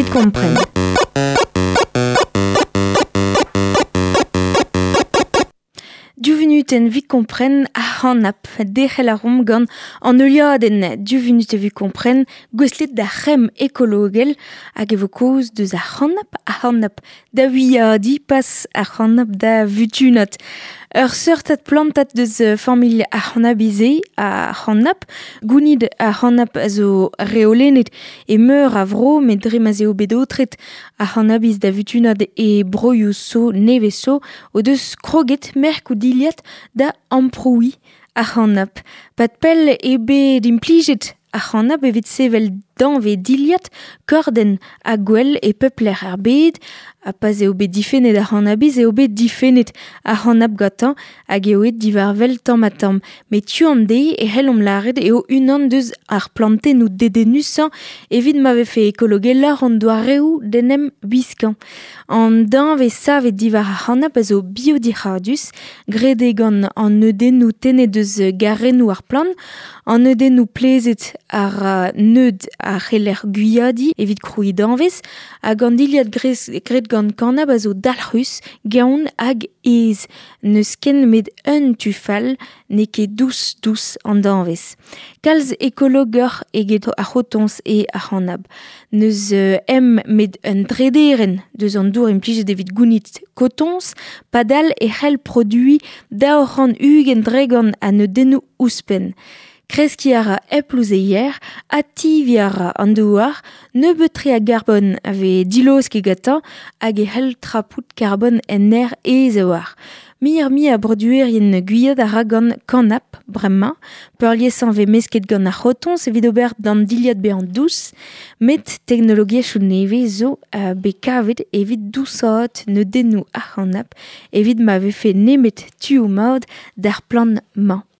evit kompren. Div vunutenn evit kompren ar c'hanab. Derc'hel a reomp gant an heuliadenn Div vunut evit kompren gouestlet d'ar c'hemm ekologel hag e vo kaoz deus ar c'hanab, ar c'hanab da wiadiñ pas ar c'hanab da vutunat. Ur seurtad plantad deus familh ar c'hannabiz-se, ar c'hannab. Gounid ar c'hannab a zo reolennet e meur a vro met dre ma'z eo bet aotret ar c'hannabiz da vutunat e broioù zo nevez zo o deus kroget merkoù dilhad da amprouiñ ar c'hannab. Pad pell eo bet implijet ar c'hannab evit sevel danvez dilhad, kordenn ha gwell e pep lec'h er bed. Ha pa'z eo bet difennet ar c'hannabiz eo bet difennet ar c'hannab gantañ hag eo aet diwar-wel tamm-ha-tamm. Met tu an deiz e c'hellomp lâret eo unan deus ar plantennoù dedennusañ evit ma vefe ekologeloc'h an doareoù d'en em wiskañ. An danvez savet diwar ar c'hanab a zo biodic'hadus, graet eo gant an neudennoù tennet eus garennoù ar plant, an neudennoù plezhet a ra neud a c'heller gwiadiñ evit krouiñ danvez, hag an dilhad graet gant kanab a zo dalc'hus, gaon hag aes. N'eus ken met un tu fall, n'eo ket dous-dous an danvez. Kalz ekologoc'h eget ar c'hotoñs eo ar c'hanab. N'eus em met un drederenn deus an dour implijet evit gounit kotoñs, padal e c'hell produiñ 220% a neudennoù ouzhpenn. Kreskiñ a ra hep louzeier, ativiñ a ra an douar, nebeut-tre a garbon a vez dilaosket gantañ hag e c'hell trapout karbon en aer aes a-walc'h. Muioc'h-mui a broduerien gwiad a ra gant kanab bremañ. Peurliesañ vez mesket gant ar c'hotoñs evit ober d'an dilhad bezañ dous, met teknologiezhioù nevez zo bet kavet evit dousaat neudennoù ar c'hanab evit ma vefe nemet tuoù mat d'ar plant-mañ.